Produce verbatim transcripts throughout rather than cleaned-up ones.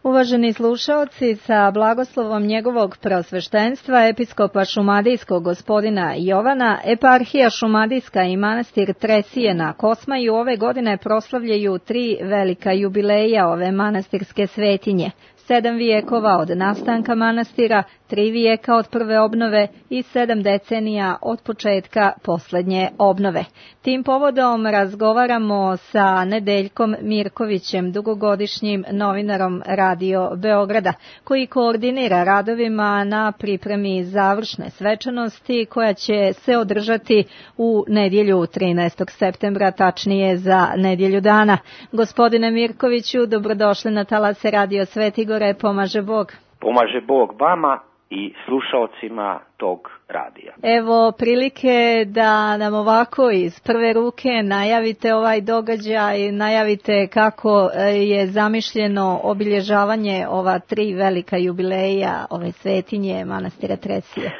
Uvaženi slušaoci, sa blagoslovom njegovog preosveštenstva, episkopa šumadijskog gospodina Jovana, eparhija šumadijska i manastir Tresije na Kosmaju ove godine proslavljaju tri velika jubileja ove manastirske svetinje. Sedam vijekova od nastanka manastira, tri vijeka od prve obnove i sedam decenija od početka posljednje obnove. Tim povodom razgovaramo sa Nedeljkom Mirkovićem, dugogodišnjim novinarom Radio Beograda, koji koordinira radovima na pripremi završne svečanosti koja će se održati u nedjelju trinaestog septembra, tačnije za nedjelju dana. Gospodine Mirkoviću, dobrodošli na talase Radio Svetigore, pomaže Bog. Pomaže Bog vama i slušaocima tog radija. Evo prilike da nam ovako iz prve ruke najavite ovaj događaj, najavite kako je zamišljeno obilježavanje ova tri velika jubileja ove svetinje manastira Tresije.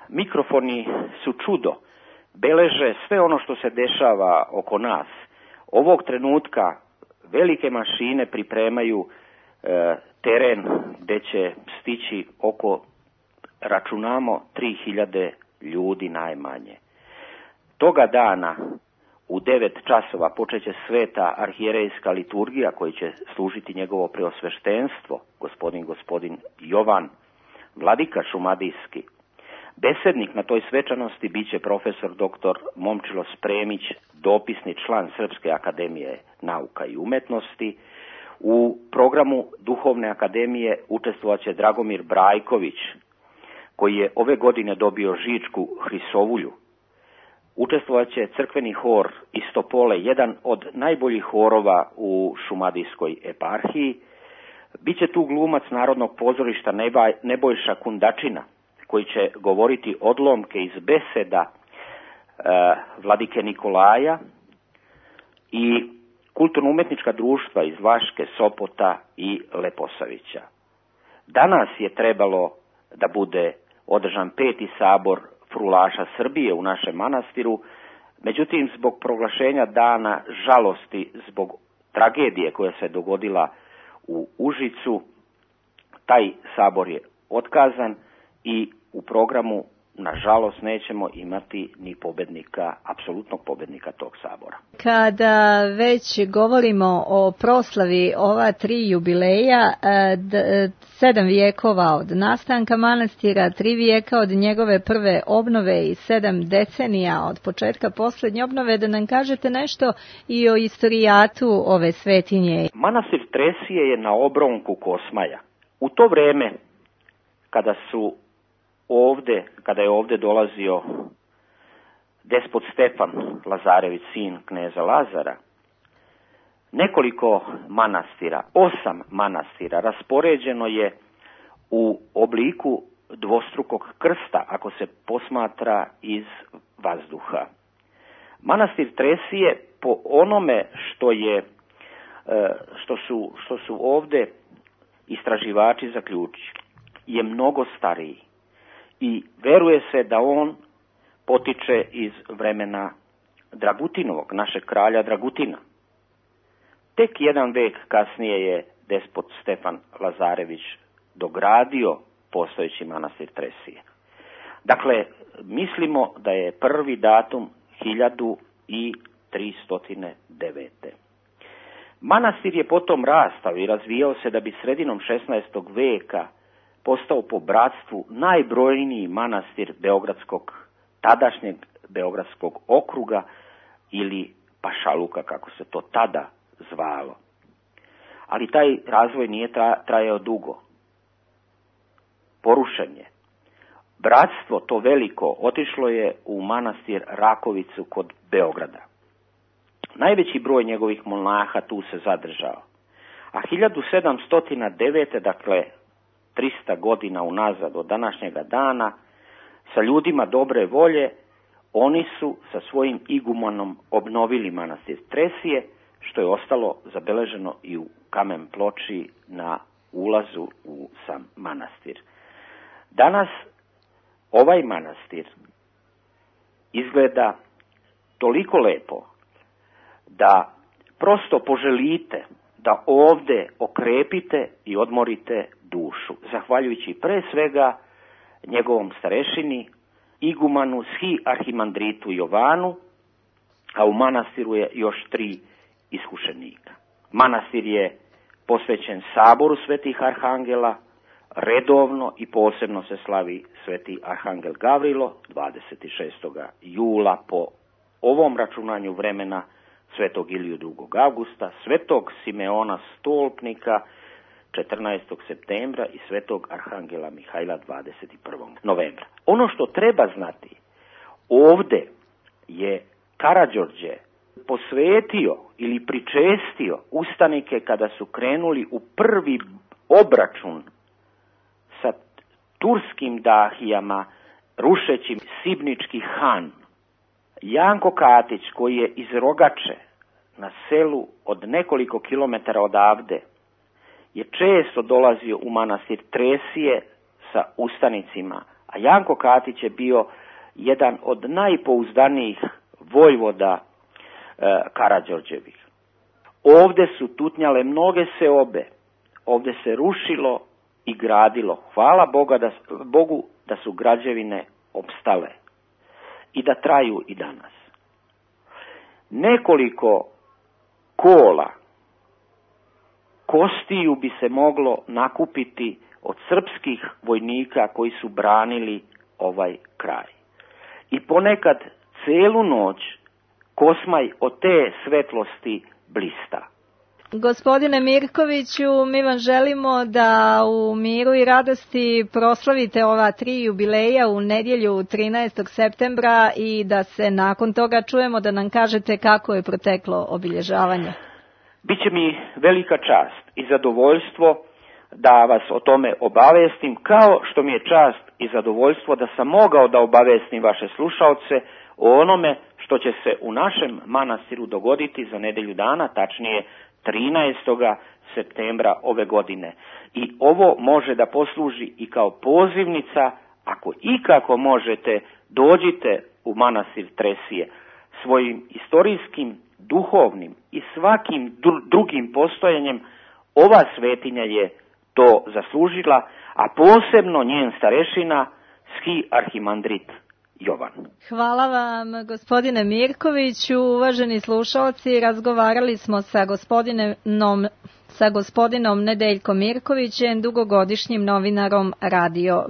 Mikrofoni su čudo, beleže sve ono što se dešava oko nas. Ovog trenutka velike mašine pripremaju e, teren gdje će stići oko, računamo, tri hiljade ljudi najmanje. Toga dana u devet časova počeće sveta arhijerejska liturgija koji će služiti njegovo preosveštenstvo, gospodin gospodin Jovan, vladika šumadijski. Besednik na toj svečanosti bit će profesor doktor Momčilo Spremić, dopisni član Srpske akademije nauka i umetnosti. U programu Duhovne akademije učestvovat će Dragomir Brajković, koji je ove godine dobio Žičku Hrisovulju. Učestvovat će crkveni hor Istopole, jedan od najboljih horova u šumadijskoj eparhiji. Biće tu glumac Narodnog pozorišta Nebojša Kundačina, koji će govoriti odlomke iz beseda e, vladike Nikolaja, i kulturno-umetnička društva iz Vaške, Sopota i Leposavića. Danas je trebalo da bude održan peti sabor frulaša Srbije u našem manastiru, međutim zbog proglašenja dana žalosti zbog tragedije koja se dogodila u Užicu, taj sabor je otkazan i u programu nažalost nećemo imati ni pobednika, apsolutnog pobednika tog sabora. Kada već govorimo o proslavi ova tri jubileja, sedam vijekova od nastanka manastira, tri vijeka od njegove prve obnove i sedam decenija od početka posljednje obnove, da nam kažete nešto i o istorijatu ove svetinje. Manastir Tresije je na obronku Kosmaja. U to vreme kada su Ovde, kada je ovde dolazio despot Stefan Lazarević, sin kneza Lazara, nekoliko manastira, osam manastira raspoređeno je u obliku dvostrukog krsta, ako se posmatra iz vazduha. Manastir Tresije, po onome što je što su, što su ovde istraživači zaključili, je mnogo stariji. I veruje se da on potiče iz vremena Dragutinovog, našeg kralja Dragutina. Tek jedan vek kasnije je despot Stefan Lazarević dogradio postojeći manastir Tresije. Dakle, mislimo da je prvi datum hiljadu tristo devete. Manastir je potom rastao i razvijao se da bi sredinom šesnaestog veka postao po bratstvu najbrojniji manastir beogradskog, tadašnjeg beogradskog okruga ili pašaluka, kako se to tada zvalo. Ali taj razvoj nije trajao dugo. Porušen je. Bratstvo to veliko otišlo je u manastir Rakovicu kod Beograda. Najveći broj njegovih monaha tu se zadržao. A hiljadu sedamsto devete, dakle trista godina unazad od današnjega dana, sa ljudima dobre volje, oni su sa svojim igumanom obnovili manastir Tresije, što je ostalo zabeleženo i u kamen ploči na ulazu u sam manastir. Danas ovaj manastir izgleda toliko lepo da prosto poželite da ovde okrepite i odmorite dušu, zahvaljujući pre svega njegovom starešini, igumanu schi arhimandritu Jovanu, a u manastiru je još tri iskušenika. Manastir je posvećen saboru svetih arhangela, redovno i posebno se slavi sveti arhangel Gavrilo dvadeset šestog jula po ovom računanju vremena, svetog Iliju drugog avgusta, svetog Simeona Stolpnika četrnaestog septembra i svetog arhangela Mihajla dvadeset prvog novembra. Ono što treba znati, ovde je Karađorđe posvetio ili pričestio ustanike kada su krenuli u prvi obračun sa turskim dahijama, rušeći Sibnički han. Janko Katić, koji je iz Rogače, na selu od nekoliko kilometara odavde, je često dolazio u manastir Tresije sa ustanicima, a Janko Katić je bio jedan od najpouzdanijih vojvoda e, Karađorđevih. Ovde su tutnjale mnoge seobe, ovde se rušilo i gradilo. Hvala Boga da, Bogu da su građevine opstale i da traju i danas. Nekoliko kola kostiju bi se moglo nakupiti od srpskih vojnika koji su branili ovaj kraj. I ponekad celu noć Kosmaj od te svetlosti blista. Gospodine Mirkoviću, mi vam želimo da u miru i radosti proslavite ova tri jubileja u nedjelju trinaestog septembra i da se nakon toga čujemo da nam kažete kako je proteklo obilježavanje. Biće mi velika čast i zadovoljstvo da vas o tome obavestim, kao što mi je čast i zadovoljstvo da sam mogao da obavestim vaše slušaoce o onome što će se u našem manastiru dogoditi za nedelju dana, tačnije trinaestog septembra ove godine. I ovo može da posluži i kao pozivnica, ako ikako možete, dođite u manastir Tresije. Svojim istorijskim, duhovnim i svakim drugim postojanjem ova svetinja je to zaslužila, a posebno njen starešina, schi arhimandrit Jovan. Hvala vam, gospodine Mirkoviću. Uvaženi slušalci, razgovarali smo sa gospodinom, sa gospodinom Nedeljkom Mirkovićem, dugogodišnjim novinarom Radio